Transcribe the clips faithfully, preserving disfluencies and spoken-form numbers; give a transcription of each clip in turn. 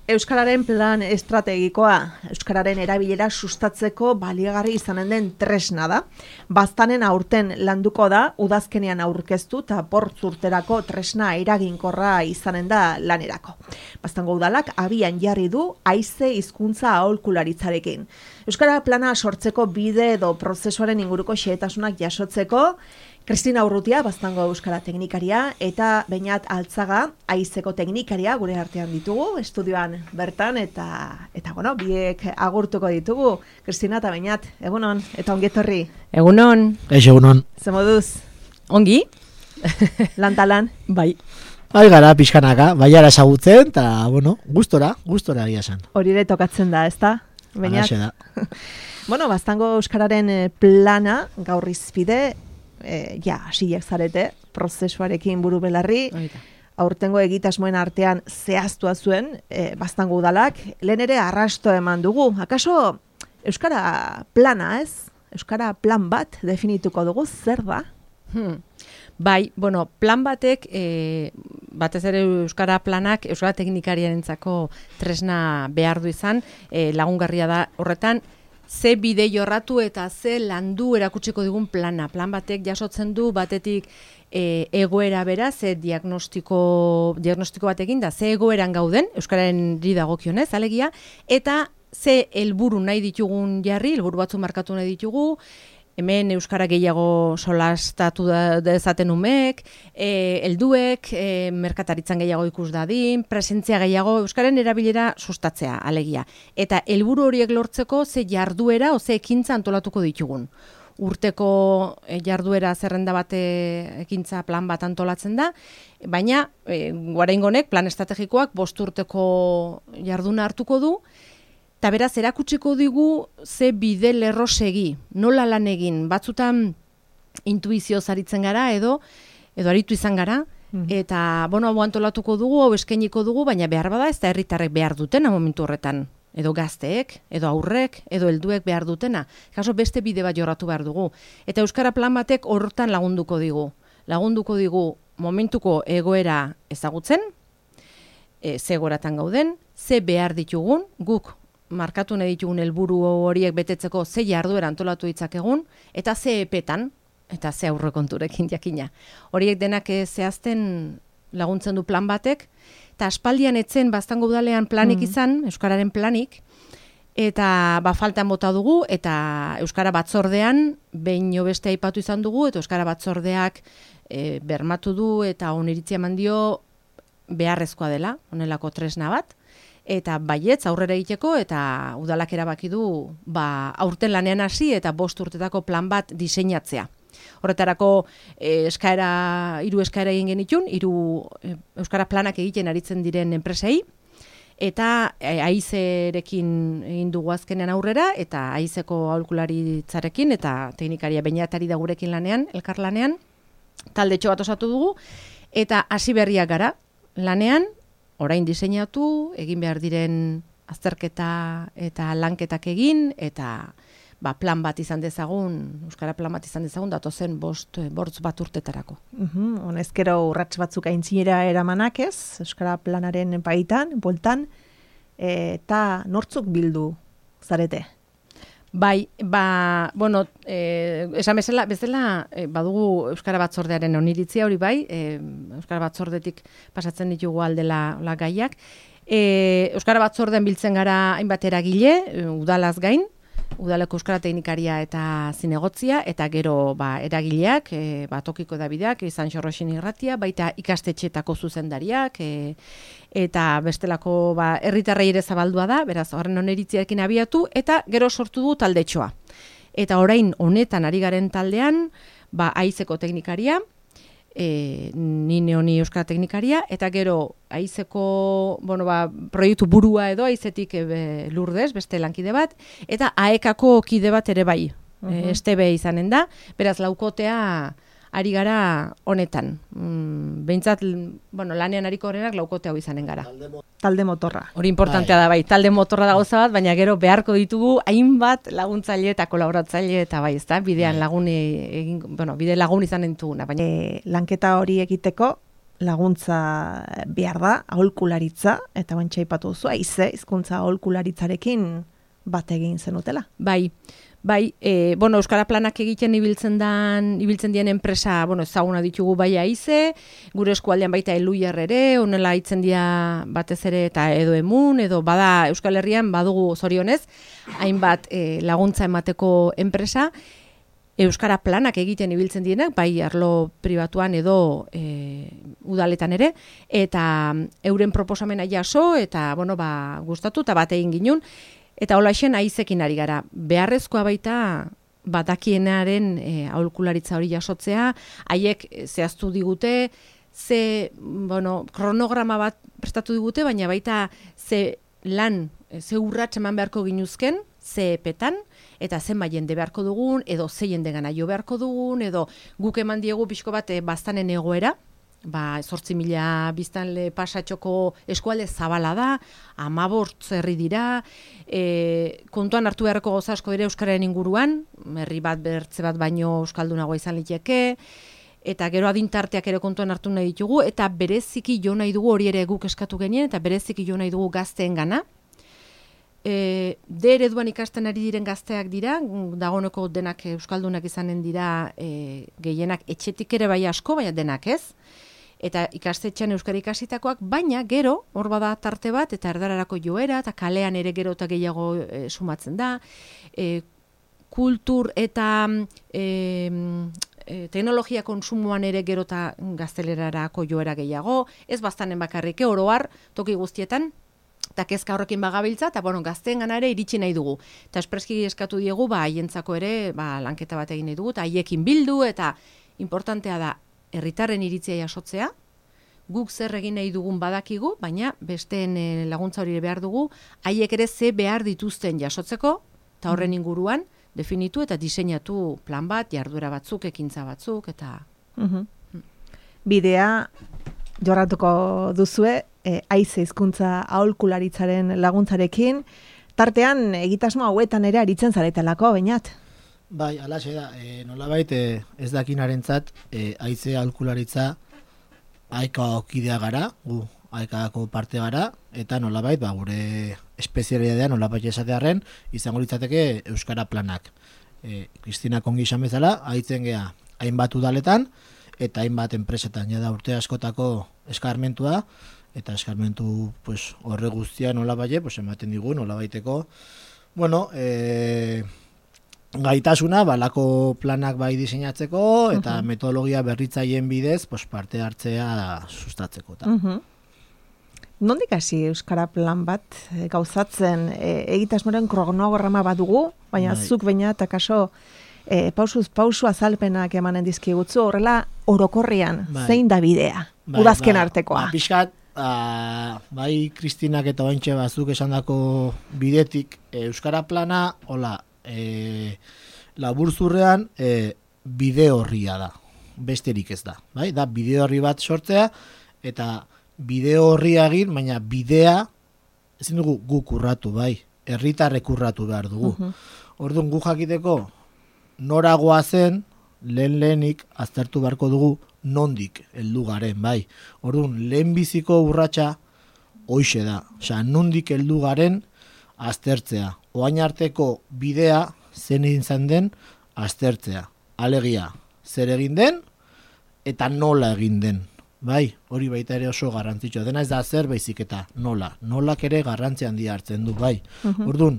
Euskararen plan estrategikoa, euskararen erabilera sustatzeko baliagarri izanen den tresna da. Baztanen aurten landuko da, udazkenean aurkeztu eta bortz urterako tresna eraginkorra izanen da lanerako. Baztango udalak abian jarri du haize hizkuntza aholkularitzarekin. Euskara plana sortzeko bide edo prozesuaren inguruko xehetasunak jasotzeko, Kristina Urrutia, Baztango euskara teknikaria, eta Beñat Altzaga, haizeko teknikaria, gure artean ditugu, estudioan bertan, eta, eta bueno, biek agurtuko ditugu. Kristina eta Beñat, egunon, eta ongetorri. Egunon. Eix, egunon. Ze moduz? Ongi? Lantalan? Bai. Bai gara, pixkanaka, baiara ezagutzen, eta, bueno, gustora, gustora egia esan. Hori ere tokatzen da, ezta? Beñat? Halaxe da. Bueno, Baztango euskararen plana, gaur izpide, E, ja, hasiak zarete, prozesuarekin buru belarri, aurtengo egitasmoen artean zehaztua zuen, e, Baztango udalak, lehen ere arrasto eman dugu. Akaso, euskara plana ez? Euskara plan bat definituko dugu, zer da? Hmm. Bai, bueno, plan batek, e, batez ere euskara planak, euskara teknikariarentzako tresna behar du izan, e, lagungarria da horretan, ze bide jorratu eta ze landu erakutsiko digun plana. Plan batek jasotzen du batetik e, egoera bera, ze diagnostiko, diagnostiko batekin da, ze egoeran gauden, euskararen dagokionez, alegia, eta ze helburu nahi ditugun jarri, helburu batzu markatu nahi ditugu, hemen euskara gehiago solastatu dezaten umek, e, helduek, e, merkataritzan gehiago ikus dadin, presentzia gehiago, euskaren erabilera sustatzea, alegia. Eta helburu horiek lortzeko ze jarduera o ze ekintza antolatuko ditugun. Urteko e, jarduera zerrenda bate ekintza plan bat antolatzen da, baina e, oraingonek plan estrategikoak bost urteko jarduna hartuko du, eta beraz, erakutsiko digu ze bide lerro segi, nola lan egin, batzutan intuizio zaritzen gara edo edo aritu izan gara, mm. eta bueno, hau antolatuko dugu, hau eskainiko dugu, baina behar bada ez da herritarrek behar dutena momentu horretan, edo gazteek, edo aurrek, edo helduek behar dutena. Kaso beste bide bat jorratu behar dugu. Eta euskara plan batek horretan lagunduko digu. Lagunduko digu momentuko egoera ezagutzen, e, ze egoeratan gauden, ze behar ditugun, guk markatu nahi ditugun helburu horiek betetzeko ze jarduera antolatu ditzakegun, eta ze epetan, eta ze aurrekonturekin jakina. Horiek denak zehazten laguntzen du plan batek, eta aspaldian etzen Baztango udalean planik izan, euskararen planik, eta ba faltan bota dugu, eta euskara batzordean behin beste aipatu izan dugu, eta euskara batzordeak e, bermatu du, eta oniritzia eman dio beharrezkoa dela, honelako tresna bat, eta baietz aurrera egiteko, eta udalak erabaki du ba, aurten lanean hasi eta bost urtetako plan bat diseinatzea. Horretarako e, eskaera, hiru eskaera egin genitun, hiru e, euskara planak egiten aritzen diren enpresei, eta e, haizerekin egin dugu azkenean aurrera, eta haizeko aholkularitzarekin, eta teknikaria Beñatari da gurekin lanean, elkarlanean, taldetxo bat osatu dugu, eta hasi berriak gara lanean, orain diseinatu, egin behar diren azterketa eta lanketak egin, eta ba, plan bat izan dezagun, euskara plan bat izan dezagun, datozen bost, bortz bat urtetarako. Uhum, honezkero urrats batzuk aintzinera eramanak ez, euskara planaren baitan, bueltan, eta nortzuk bildu zarete? Bai, ba, bueno, eh, esan bezala, bezala eh, badugu Euskara Batzordearen oniritzia hori bai, eh, Euskara Batzordetik pasatzen ditugu aldela la gaiak. Eh, Euskara Batzordean biltzen gara hainbat eragile, udalaz gain, udaleko euskara teknikaria eta zinegotzia, eta gero ba, eragileak, e, ba, tokiko edabideak, izan Xorroxin irratia, baita ikastetxeetako zuzendariak, e, eta bestelako ba, herritarrei ere zabaldua da, beraz horren oneritziarekin abiatu, eta gero sortu du taldetxoa. Eta orain honetan ari garen taldean, ba, haizeko teknikaria, E, nine honi euskara teknikaria, eta gero haizeko bueno, ba, proiektu burua edo haizetik e, Lurdez, beste lankide bat, eta aekako kide bat ere bai, uh-huh. e, estebe izanen da, beraz laukotea ari gara honetan. Mm, behintzat, bueno, lanean ariko horrenak laukote hau izanen gara. Talde motorra. Hori importantea da bai, talde motorra da gauza bat, baina gero beharko ditugu hainbat laguntzaile eta kolaboratzaile eta bai, ezta? Bidean lagun egin, bueno, bide lagun izan entuguna, baina e, lanketa hori egiteko laguntza behar da, aholkularitza, eta bantxa ipatu duzu, aize, hizkuntza aholkularitzarekin bat egin zenutela. Bai, bai, e, bueno, Euskara Planak egiten ibiltzen dan, ibiltzen dien enpresa, bueno, ezaguna ditugu bai aize, gure eskualdean baita Eluiar ere, honela hitzen dira batez ere eta edo emun, edo bada Euskal Herrian badugu zorionez, hainbat e, laguntza emateko enpresa, Euskara Planak egiten ibiltzen dienak, bai arlo pribatuan edo e, udaletan ere, eta euren proposamena jaso, eta bueno, ba, gustatu, eta bat egin ginun, eta holaxen aizekin ari gara. Beharrezkoa baita batakienaren e, aholkularitza hori jasotzea, haiek zehaztu digute, ze, bueno, kronograma bat prestatu digute, baina baita ze lan, ze urrats eman beharko ginuzken, ze epetan, eta zenba jende beharko dugun, edo ze jende gana jo beharko dugun, edo guk eman diegu pixko bat e, baztanen egoera, ba, zortzi mila biztanle pasatxoko eskualde zabala da, amabortz herri dira, e, kontuan hartu beharreko gauza asko dire euskararen inguruan, herri bat bertze bat baino euskaldunagoa izan liteke, eta gero adintarteak ere kontuan hartu nahi ditugu, eta bereziki jo nahi dugu, hori ere guk eskatu genien, eta bereziki jo nahi dugu gazteen gana. E, de ereduan ikasten ari diren gazteak dira, dagoeneko denak euskaldunak izanen dira, e, gehienak etxetik ere bai asko, baina denak ez, eta ikastetxean euskara ikasitakoak, baina gero, hor bada tarte bat, eta erdararako joera, eta kalean ere gero eta gehiago e, sumatzen da, e, kultur eta e, e, teknologia konsumoan ere gero eta gaztelerarako joera gehiago, ez bastanen bakarrik, oroar, toki guztietan, eta kezka horrekin bagabiltza, eta bueno, gazteen gana ere iritsi nahi dugu. Eta espreski eskatu diegu, ba, haientzako ere, ba, lanketa bat egin nahi dugu, eta haiekin bildu, eta importantea da, herritarren iritzia jasotzea, guk zer egin nahi dugun badakigu, baina besteen e, laguntza hori behar dugu, haiek ere ze behar dituzten jasotzeko, eta horren inguruan, definitu eta diseinatu plan bat, jarduera batzuk, ekintza batzuk, eta... Uhum. Bidea jorratuko duzue, e, aize hizkuntza aholkularitzaren laguntzarekin, tartean egitasmo hauetan ere aritzen zaretelako, bainat? Bai, alaxe da, e, nolabait e, ez dakinarentzat e, aize aholkularitza aika okidea gara, gu aikako parte gara, eta nolabait ba, gure espezialitatea nolabait esatearren izango litzateke Euskara Planak. E, Kristina kongi esan bezala, aitzen gea hainbat udaletan, eta hainbat enpresetan, ja da urte askotako eskarmentua, eta eskarmentu pues, horre guztia nolabait, pues, ematen digu nolabaiteko, bueno, e, gaitasuna, balako planak bai diseinatzeko, eta uh-huh. metodologia berritzaileen bidez pues, parte hartzea sustatzeko. Uh -huh. Nondik hasi Euskara Plan bat e, gauzatzen e, egitasmoren kronograma badugu, baina bai. Zuk baina eta kaso e, pausuz pausu azalpenak emanen dizkigutzu, horrela orokorrian bai. Zein da bidea, bai, udazken ba, artekoa. Ba, pixkat, a, bai Kristinak eta ointxe bazuk esandako bidetik e, Euskara Plana, hola, e, laburzurrean e, bide horria da, besterik ez da, bai? Da bide horri bat sortzea, eta bide horria egin, baina bidea ezin dugu guk urratu, bai, herritarrek urratu behar dugu. Uh-huh. Orduan gu jakiteko noragoa zen, lehen lehenik aztertu beharko dugu nondik heldu garen, bai. Orduan lehen biziko urratsa hoixe da, osea, nondik heldu garen aztertzea. Oain arteko bidea zen egin zen den aztertzea. Alegia, zer egin den eta nola egin den. Bai, hori baita ere oso garrantzitsua. Dena ez da zer baizik eta nola. Nolak ere garrantzi handia hartzen du, bai. Uh-huh. Orduan,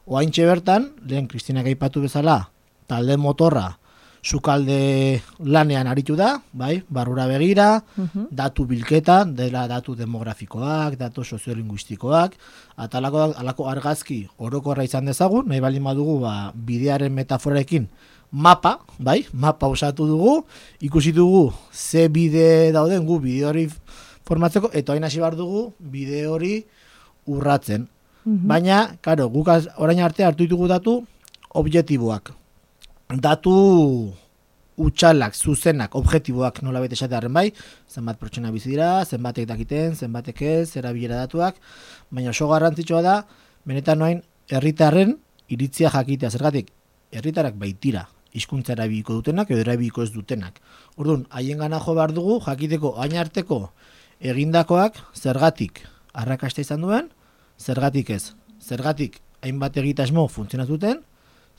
oaintxe bertan, lehen Kristinak aipatu bezala, talde motorra, sukalde lanean aritu da, bai, barrura begira, uh-huh. datu bilketa, dela datu demografikoak, datu soziolinguistikoak, eta alako, alako argazki orokorra izan dezagun, nahi baldin badugu ba, bidearen metaforekin mapa, bai, mapa osatu dugu, ikusi dugu ze bide dauden gu bide hori formatzeko, eta hain hasi behar dugu bide hori urratzen. Uh-huh. Baina, karo, guk orain arte hartu ditugu datu objektiboak. Datu utxalak, zuzenak, objektiboak nola bete esatearen bai, zenbat pertsona bizi dira, zenbatek dakiten, zenbatek ez, erabilera datuak, baina oso garrantzitsua da, benetan noain, herritarren iritzia jakitea, zergatik, herritarrak baitira hizkuntza erabiliko dutenak edo erabiliko ez dutenak. Orduan, haien gana jo behar dugu, jakiteko hain arteko egindakoak zergatik arrakasta izan duen, zergatik ez. Zergatik hainbat egitasmo funtzionatuten,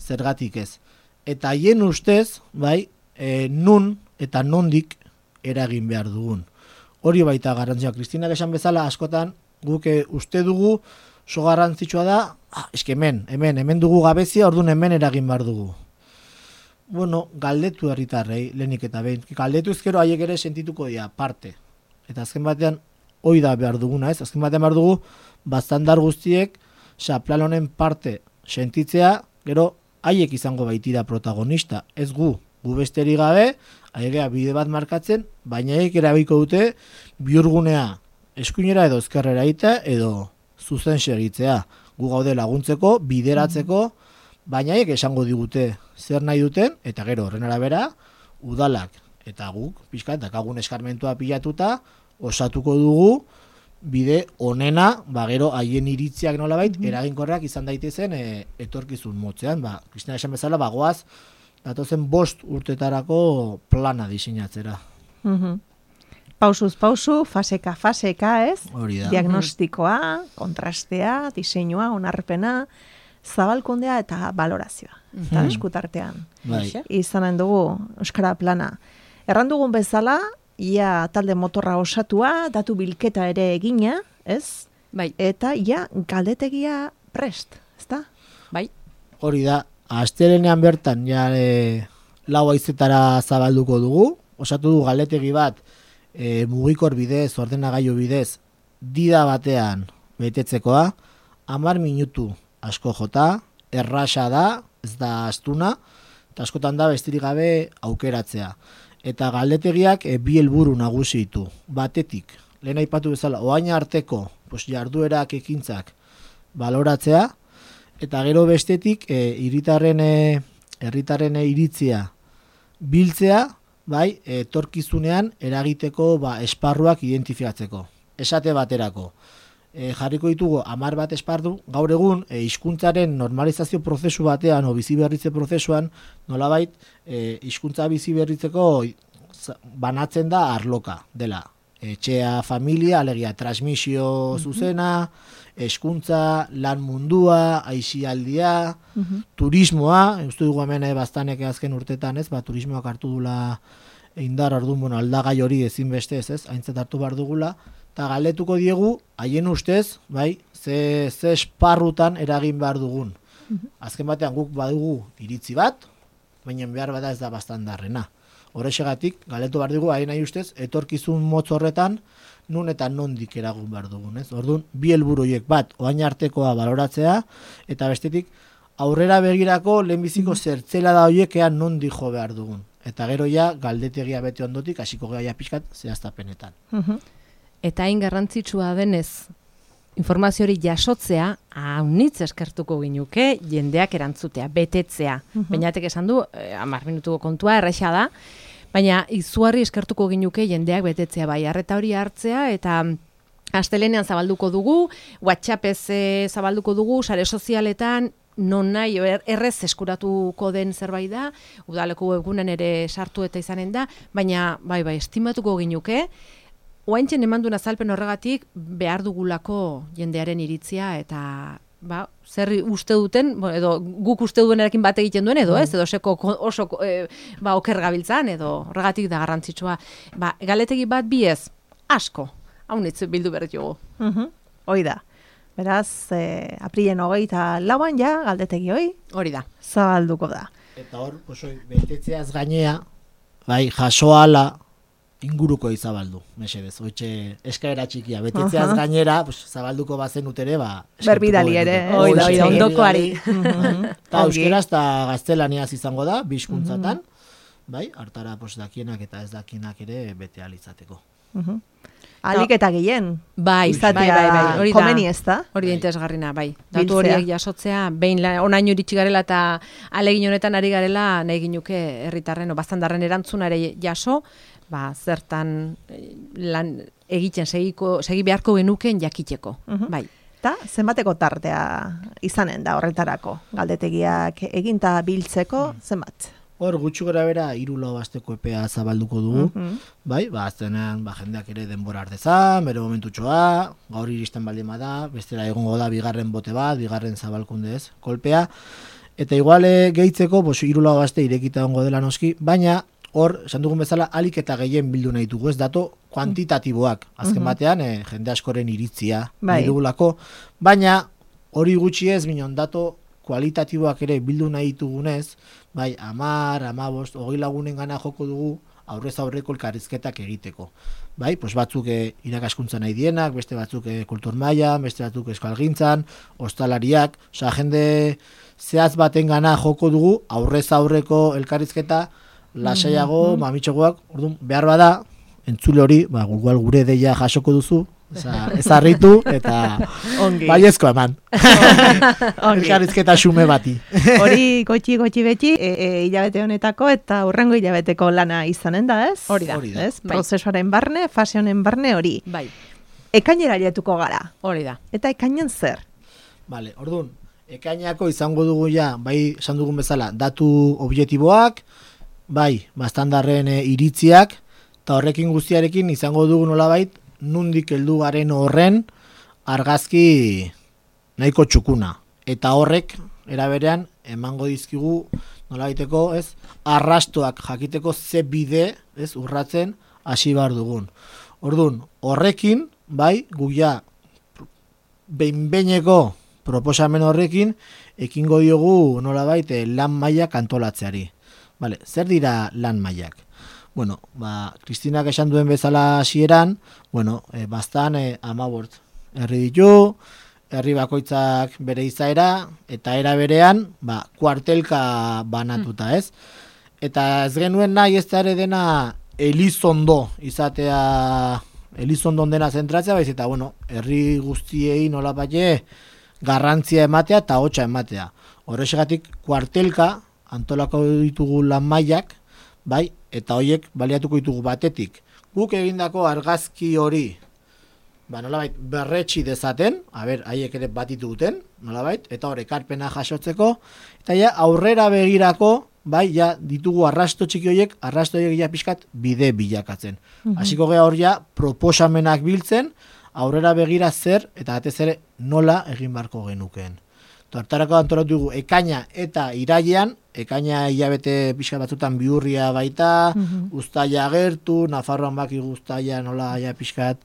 zergatik ez. Eta haien ustez, bai, e, nun eta nondik eragin behar dugun. Hori baita garrantzia. Kristinak esan bezala askotan guk e, uste dugu oso garrantzitsua da, ah, eske hemen, hemen, hemen dugu gabezia, orduan hemen eragin behar dugu. Bueno, galdetu herritarrei, lehenik eta behin. Galdetu ezkero haiek ere sentituko dira, parte. Eta azken batean, hoi da behar duguna, ez? Azken batean behar dugu, baztandar guztiek, oza, plan honen parte sentitzea, gero, haiek izango baitira protagonista. Ez gu, gu besteri gabe, haiek bide bat markatzen, baina haiek erabiko dute, bihurgunea eskuinera edo ezkerrera ita, edo zuzen segitzea. Gu gaude laguntzeko, bideratzeko, baina haiek esango digute zer nahi duten, eta gero horren arabera, udalak eta guk, pixka, dakagun eskarmentua pilatuta, osatuko dugu bide onena, ba gero haien iritziak nolabait, mm-hmm. eraginkorrak izan daitezen e, etorkizun motzean, ba, Kristina esan bezala, bagoaz, datozen bost urtetarako plana diseinatzera. Mm-hmm. Pausuz pausu, faseka faseka, ez? Hori da. Diagnostikoa, kontrastea, diseinua, onarpena, zabalkundea eta balorazioa. Mm-hmm. Eta eskutartean. Bai. Izanen dugu Euskara plana. Erran dugun bezala, ia talde motorra osatua, datu bilketa ere egina, ez? Bai. Eta ia galdetegia prest, ezta? Bai. Hori da, astelenean bertan ja e, lau haizetara zabalduko dugu, osatu du galdetegi bat e, mugikor bidez, ordenagailu bidez, dida batean betetzekoa, hamar minutu asko jota, errasa da, ez da astuna, eta askotan da bestirik gabe aukeratzea. Eta galdetegiak e, bi helburu nagusi ditu. Batetik, lehen aipatu bezala, oain arteko pues, jarduerak ekintzak baloratzea, eta gero bestetik, e, iritarren, e, herritarren iritzia biltzea, bai, etorkizunean eragiteko ba, esparruak identifikatzeko. Esate baterako. E, jarriko ditugu hamar bat esparru, gaur egun e, hizkuntzaren normalizazio prozesu batean o biziberritze prozesuan nolabait e, hizkuntza biziberritzeko banatzen da arloka dela. Etxea, familia, alegia transmisio zuzena, hezkuntza, lan mundua, aisialdia, uh-huh. turismoa, uste dugu hemen e, baztanek azken urtetan, ez, ba, turismoak hartu dula indar orduan, bueno, aldagai hori ezinbeste ez, ez, aintzat hartu behar dugula, eta galdetuko diegu, haien ustez, bai, ze, ze esparrutan eragin behar dugun. Uh-huh. Azken batean guk badugu iritzi bat, baina behar bada ez da bastandarrena. Horrexegatik, galdetu behar dugu, haien nahi ustez, etorkizun motz horretan, nun eta nondik eragun behar dugun, ez? Orduan, bi helburu horiek bat, oain artekoa baloratzea, eta bestetik, aurrera begirako lehenbiziko uh-huh. zertzela da horiek ean nondik jo behar dugun. Eta gero ja, galdetegia bete ondotik, hasiko geha pixkat zehaztapenetan. Uh-huh. Eta hain garrantzitsua denez, informazio hori jasotzea, haunitz eskertuko ginuke, jendeak erantzutea, betetzea. Uh-huh. Bainatek esan du, eh, hamar minutuko kontua, erraixa da, baina izugarri eskertuko ginuke jendeak betetzea, bai, arreta hori hartzea, eta astelenean zabalduko dugu, WhatsAppez eh, zabalduko dugu, sare sozialetan, non nahi, errez eskuratuko den zerbait da, udaleko webgunen ere sartu eta izanen da, baina, bai, bai, estimatuko ginuke, oaintzen emandun azalpen horregatik behar dugulako jendearen iritzia eta ba, zer uste duten, edo guk uste duenarekin bat egiten duen edo ez, edo seko oso e, ba, oker gabiltzan edo horregatik da garrantzitsua. Ba, galetegi bat bi ez, asko, haunitz bildu behar dugu. Uh-huh. Hoi da. Beraz, eh, aprilen hogeita lauan ja, galdetegi hoi. Hori da. Zabalduko da. Eta hor, osoi, betetzeaz gainea, bai, jasoala, inguruko izabaldu, mesedez, hoitxe eskaera txikia, betetzeaz uh-huh. gainera, pues, zabalduko bazen utere, ba... Berbidali ere, oida, oida, ondokoari. Eta euskeraz eta gaztelaniaz izango da, bizkuntzatan, uh-huh. bai, hartara pues, dakienak eta ez dakienak ere bete alizateko. Uh-huh. Alik eta gehien, bai, izatea bai, bai, bai, hori komeni ez da? Hori da interesgarrina, bai. Datu horiek jasotzea, behin onaino iritsi garela eta alegin honetan ari garela, nahi ginuke herritarren, o bastandarren erantzuna ere jaso, ba, zertan lan egiten segiko, segi beharko genuken jakiteko, uh-huh. bai. Eta zenbateko tartea izanen da horretarako, galdetegiak eginta biltzeko, zenbat? Hor, gutxi gora bera, hiru lau asteko epea zabalduko dugu, Mhm. bai, ba, aztenean, ba, jendeak ere denbora ardezan, bere momentutxoa, gaur iristen baldin bada, bestela egongo da bigarren bote bat, bigarren zabalkunde ez, kolpea, eta iguale gehitzeko, bos, hiru lau aste irekita egongo dela noski, baina, hor, esan dugun bezala, alik eta gehien bildu nahi dugu, ez dato kuantitatiboak, azken batean, eh, jende askoren iritzia Bai. nahi dugulako, baina, hori gutxi ez, minon, dato kualitatiboak ere bildu nahi ditugunez, bai, amar, amabost, hogei lagunen gana joko dugu, aurrez aurreko elkarrizketak egiteko. Bai, pues batzuk e, irakaskuntza nahi dienak, beste batzuk e, kultur maila, beste batzuk euskalgintzan, ostalariak, osea, jende zehaz baten gana joko dugu, aurrez aurreko elkarrizketa, lasaiago, mm -hmm. mamitxogoak, orduan, behar bada, entzule hori, ba, igual gure deia jasoko duzu, ez harritu, eta baiezko eman. Elkarrizketa xume bati. Hori gotxi gotxi beti, e, e, hilabete honetako eta hurrengo hilabeteko lana izanen da, ez? Hori da. Hori da. Ez? Prozesuaren barne, fase honen barne hori. Bai, Ekainera jetuko gara. hori da. Eta ekainen zer? Vale, orduan, ekainako izango dugu ja, bai, esan dugun bezala, datu objektiboak, bai, bastandarren e, iritziak, eta horrekin guztiarekin izango dugu nolabait, nundik heldu garen horren argazki nahiko txukuna. Eta horrek, eraberean, emango dizkigu, nolabaiteko, ez, arrastoak jakiteko ze bide, ez, urratzen hasi behar dugun. Orduan, horrekin, bai, guia, behin-behineko proposamen horrekin, ekingo diogu nolabait lan mailak antolatzeari. Vale, zer dira lan mailak? Bueno, ba, Kristinak esan duen bezala hasieran, bueno, e, bastan e, amabort herri ditu, herri bakoitzak bere izaera, eta era berean, ba, kuartelka banatuta, ez? Eta ez genuen nahi ez da ere dena Elizondo izatea, Elizondon dena zentratzea, baiz eta, bueno, herri guztiei nolapait garrantzia ematea eta hotxa ematea. Horrexegatik kuartelka antolako ditugu lan mailak, bai, eta hoiek baliatuko ditugu batetik. Guk egindako argazki hori, ba, nolabait, berretsi dezaten, haber, haiek ere batitu duten, nolabait, eta hor ekarpena jasotzeko, eta ja, aurrera begirako, bai, ja, ditugu arrasto txiki horiek, arrasto horiek ja pixkat bide bilakatzen. Hasiko gea hor ja, proposamenak biltzen, aurrera begira zer, eta batez ere nola egin barko genukeen. Hortarako antolatu dugu ekaina eta irailean, ekaina hilabete pixka batzutan bihurria baita, mm-hmm. Uztaila agertu, Nafarroan baki uztaila nola ja pixkat,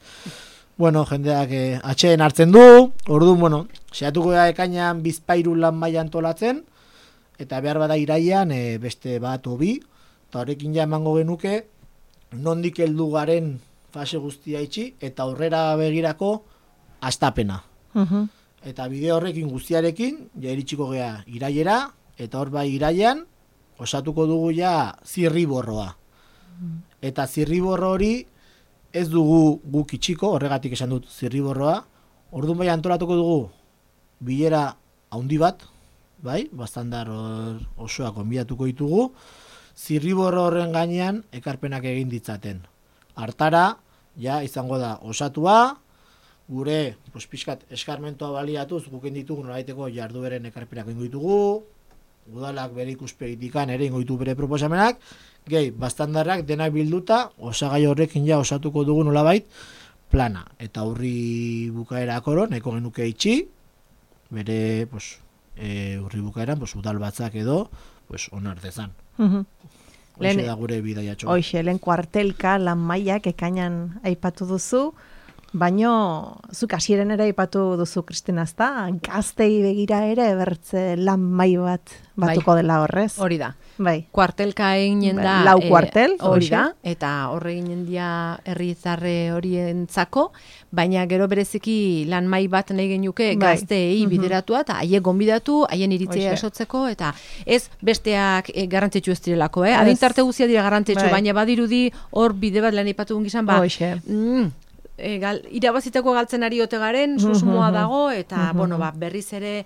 bueno, jendeak eh, atxeen hartzen du, orduan, bueno, saiatuko da ekainan bizpairu lan maila antolatzen, eta behar bada irailean eh, beste bat hobi, eta horrekin ja emango genuke, nondik heldu garen fase guztia itxi, eta aurrera begirako astapena. Mhm. Eta bideo horrekin guztiarekin, ja iritsiko gea irailera, eta hor bai irailean, osatuko dugu ja zirriborroa. Eta zirriborro hori ez dugu guk itxiko, horregatik esan dut zirriborroa, orduan bai antolatuko dugu bilera haundi bat, bai, bastandar osoa konbidatuko ditugu, zirriborro horren gainean ekarpenak egin ditzaten. Hartara, ja izango da osatua, gure pues, pixkat eskarmentoa baliatuz guken ditugu nolaiteko jardueren ekarpenak ingo ditugu, udalak bere ikuspegitikan ere ingo ditu bere proposamenak, gehi, bastandarrak denak bilduta, osagai horrekin ja osatuko dugu nolabait plana. Eta urri bukaerakoro, nahiko genuke itxi, bere pues, e, urri bukaeran pues, udal batzak edo pues, onar dezan. Mhm. Hoxe da gure bidaiatxoa. Hoxe, lehen kuartelka lan mailak ekainan aipatu duzu, baino zuk hasieren ere aipatu duzu, Kristina, ezta? Gaztei begira ere bertze lan maila bat batuko Bai. dela horrez. Hori da. Bai. Kuartelka eginen da. Lau kuartel, eh, hori hoxe. da, eta horre eginen dia herritarre horientzako, baina gero bereziki lan mai bat nahi genuke Bai. gazteei Mhm. bideratua, eta haiek gonbidatu, haien iritzia Hoxe. esotzeko, eta ez besteak eh, garrantzitsu ez direlako, eh? Ez. Adintarte guztia dira garrantzitsu, Bai. baina badirudi hor bide bat lan aipatu gizan, ba, Hoxe. mm, e, gal, irabaziteko galtzen ari ote garen, susmoa Mhm. dago, eta, Mhm. bueno, ba, berriz ere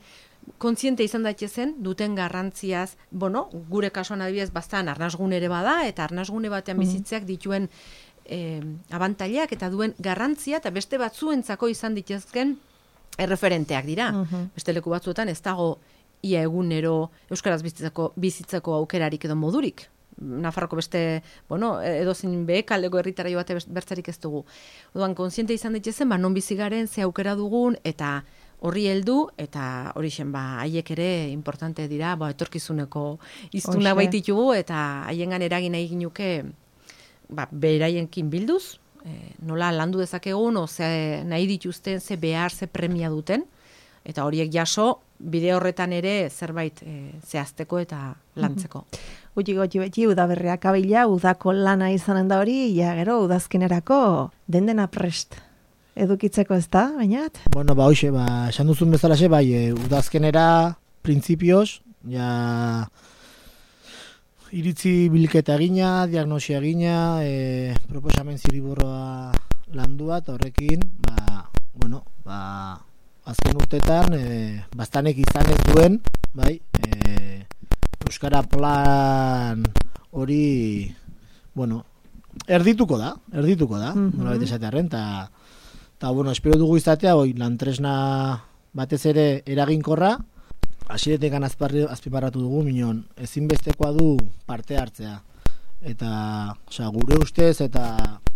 kontziente izan daitezen duten garrantziaz, bueno, gure kasuan adibidez bastan arnasgune ere bada, eta arnasgune batean bizitzeak dituen eh, abantailak eta duen garrantzia, eta beste batzuentzako izan dituzken erreferenteak dira. Mhm. Beste leku batzuetan ez dago ia egunero euskaraz bizitzeko, bizitzeko aukerarik edo modurik. Nafarroko beste, bueno, edozin behekaldeko herritara jo bate bertzarik ez dugu. Oduan, kontziente izan ditzezen, ba, non bizigaren, ze aukera dugun, eta horri heldu, eta hori zen, ba, haiek ere importante dira, ba, etorkizuneko iztuna baititugu, eta haiengan eragin egin nuke, ba, beraienkin bilduz, e, nola landu dezakegun, o ze nahi dituzten, ze behar, ze premia duten, eta horiek jaso, bide horretan ere zerbait e, zehazteko eta lantzeko. Gutxi gotxi beti udaberriak abila, udako lana izanen da hori, ja gero udazkenerako dendena prest edukitzeko ez da, bainat? Bueno, ba, hoxe, ba, esan duzun bezalaxe, bai, e, udazkenera, printzipioz, ja, iritzi bilketa egina, diagnosia egina, e, proposamen ziriburroa landua, eta horrekin, ba, bueno, ba, azken urtetan, e, bastanek izan ez duen, bai, e, Euskara plan hori, bueno, erdituko da, erdituko da, mm-hmm. nola bete esatearen, eta, eta, bueno, espero dugu izatea, oi, lantresna batez ere eraginkorra, hasiretekan azpimarratu dugu, minon, ezinbestekoa du parte hartzea. Eta, osea, gure ustez, eta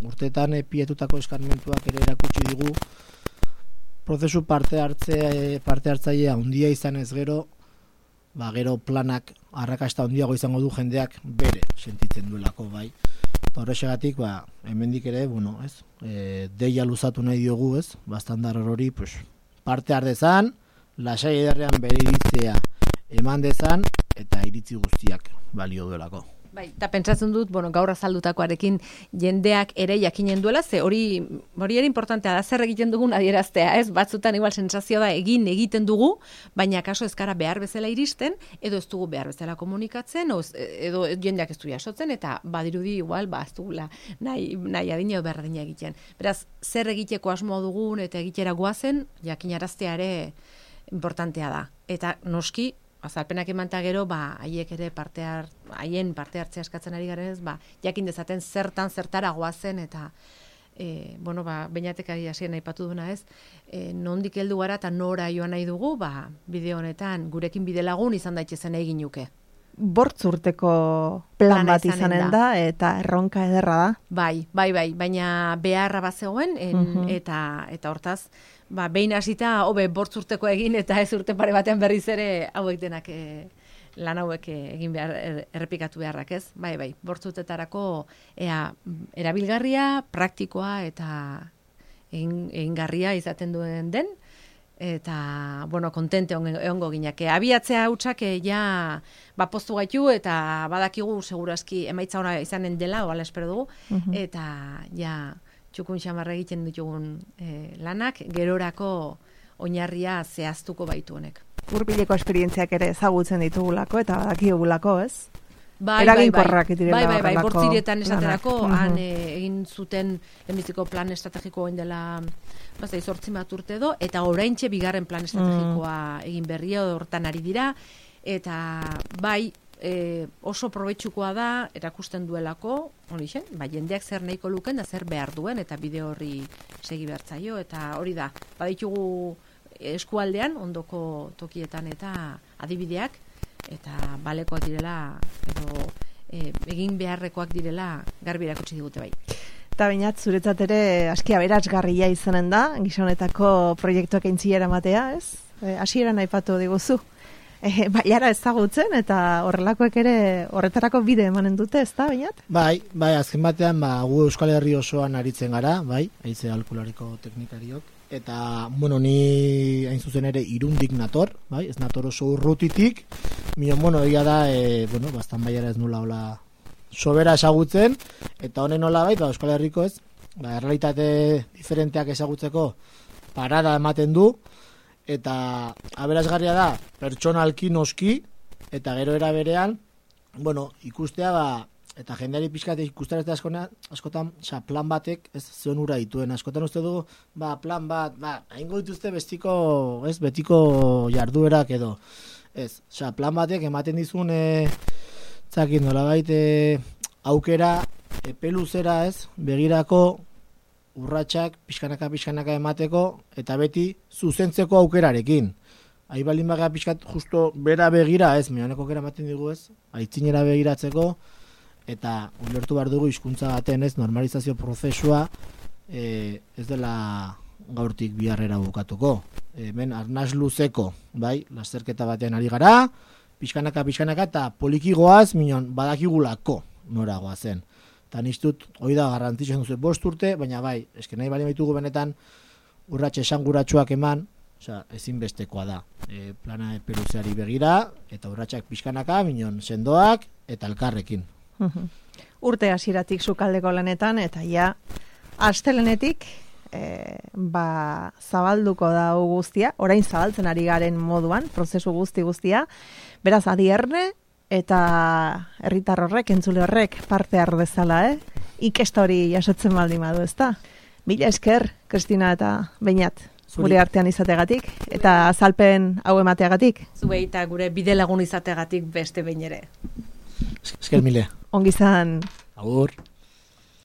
urtetan epietutako eskarmentuak ere erakutsi digu, prozesu parte hartzea, parte hartzailea handia izan ez gero, ba, gero planak arrakasta handiago izango du jendeak bere sentitzen duelako, bai. Eta horrexegatik, ba, hemendik ere, bueno, ez, e, deia luzatu nahi diogu, ez, bastandar hori, pues, parte hardezan, lasai ederrean bere iritzea eman dezan, eta iritzi guztiak balio duelako. Bai, eta pentsatzen dut, bueno, gaur azaldutakoarekin jendeak ere jakinen duela, ze hori hori ere importantea da, zer egiten dugun adieraztea, ez? Batzutan igual sensazio da egin egiten dugu, baina kaso ez gara behar bezala iristen, edo ez dugu behar bezala komunikatzen, o, edo jendeak ez du jasotzen, eta badirudi igual, ba, ez dugula nahi, nahi adina edo berdina egiten. Beraz, zer egiteko asmoa dugun eta egitera goazen, jakinaraztea ere importantea da. Eta noski, azalpenak emanta gero, ba, haiek ere parte hart, haien parte hartzea eskatzen ari garen ez, ba, jakin dezaten zertan zertara goazen, eta, e, bueno, ba, beinatek ari hasien aipatu duna ez, e, nondik heldu gara eta nora joan nahi dugu, ba, bide honetan, gurekin bide lagun izan daitezen egin nuke. Bortz urteko plan bat izanen da, eta erronka ederra da. Bai, bai, bai, baina beharra bat zegoen, en, uh-huh. eta, eta hortaz, ba, behin hasita hobe bortz urteko egin, eta ez urte pare batean berriz ere hauek denak e, lan hauek egin behar, er, errepikatu beharrak ez. Bai, bai, bortz urtetarako ea, erabilgarria, praktikoa eta egin, egingarria izaten duen den, eta, bueno, kontente egongo ginake. Abiatzea hutsak ja, ba, postu gaitu, eta badakigu segurazki emaitza ona izanen dela, oala espero dugu, uh-huh. eta, ja, txukun xamarra egiten ditugun e, lanak, gerorako oinarria zehaztuko baitu honek. Hurbileko esperientziak ere ezagutzen ditugulako, eta badakigulako, ez? Bai, eraginkorrak direla bai, bai, bai, horrelako bortzirietan esaterako, lanak. han e, egin zuten lehenbiziko plan estrategiko egin dela, bazai, zortzi bat urte edo, eta oraintxe bigarren plan estrategikoa mm. egin berria, hortan ari dira, eta bai, e, oso probetxukoa da, erakusten duelako, hori zen, ba, jendeak zer nahiko luken, da zer behar duen, eta bide horri segi behartzaio, eta hori da, baditugu eskualdean, ondoko tokietan eta adibideak, eta balekoak direla, edo e, egin beharrekoak direla, garbi erakutsi digute bai. Eta bainat, zuretzat ere aski aberasgarria izanen da, gizonetako proiektuak aintzilera matea, ez? E, hasieran aipatu diguzu. E, baiara ezagutzen, eta horrelakoek ere horretarako bide emanen dute, ez da, bainat? Bai, bai, azken batean, ba, gu Euskal Herri osoan aritzen gara, bai, haize alkulariko teknikariok, eta, bueno, ni hain zuzen ere irundik nator, bai, ez nator oso urrutitik, minon, bueno, egia da, e, bueno, bastan baiara ez nula hola sobera ezagutzen, eta honen nola bai, ba, Euskal Herriko ez, ba, errealitate diferenteak ezagutzeko parada ematen du, eta aberasgarria da, pertsonalki noski, eta gero era berean, bueno, ikustea, ba, eta jendeari pixkate ikustarazte askotan, askotan, oza, plan batek, ez zion ura dituen, askotan uste dugu, ba, plan bat, ba, hain dituzte bestiko, ez, betiko jarduerak edo, ez, oza, plan batek ematen dizun, e, zakin, nola baite, aukera, epeluzera, ez, begirako, urratsak pixkanaka, pixkanaka emateko, eta beti zuzentzeko aukerarekin. Ahi balin baga pixkat justo bera begira ez, mehaneko kera ematen digu ez, aitzinera begiratzeko, eta ulertu behar dugu hizkuntza baten ez, normalizazio prozesua e, ez dela gaurtik biharrera bukatuko. Hemen arnaz luzeko, bai, lasterketa batean ari gara, pixkanaka, pixkanaka, eta polikigoaz, minon, badakigulako noragoa zen. Eta niztut, hori da, garrantzitsuan duzu, bost urte, baina bai, eske nahi bali baitugu benetan, urratxe esanguratsuak eman, osea, ezinbestekoa da. E, plana epeluzeari begira, eta urratxak pixkanaka, minon, sendoak, eta elkarrekin. Urte hasieratik sukaldeko lanetan, eta ja, astelenetik, E, ba, zabalduko da guztia, orain zabaltzen ari garen moduan, prozesu guzti guztia, beraz adierne eta herritar horrek, entzule horrek parte har dezala, eh? Ikesta hori jasotzen baldin badu, ezta? Mila esker, Kristina eta Beñat, gure artean izategatik, eta azalpen hau emateagatik. Zuei eta gure bide lagun izategatik beste behin ere. Esker mile. Ongi izan. Agur.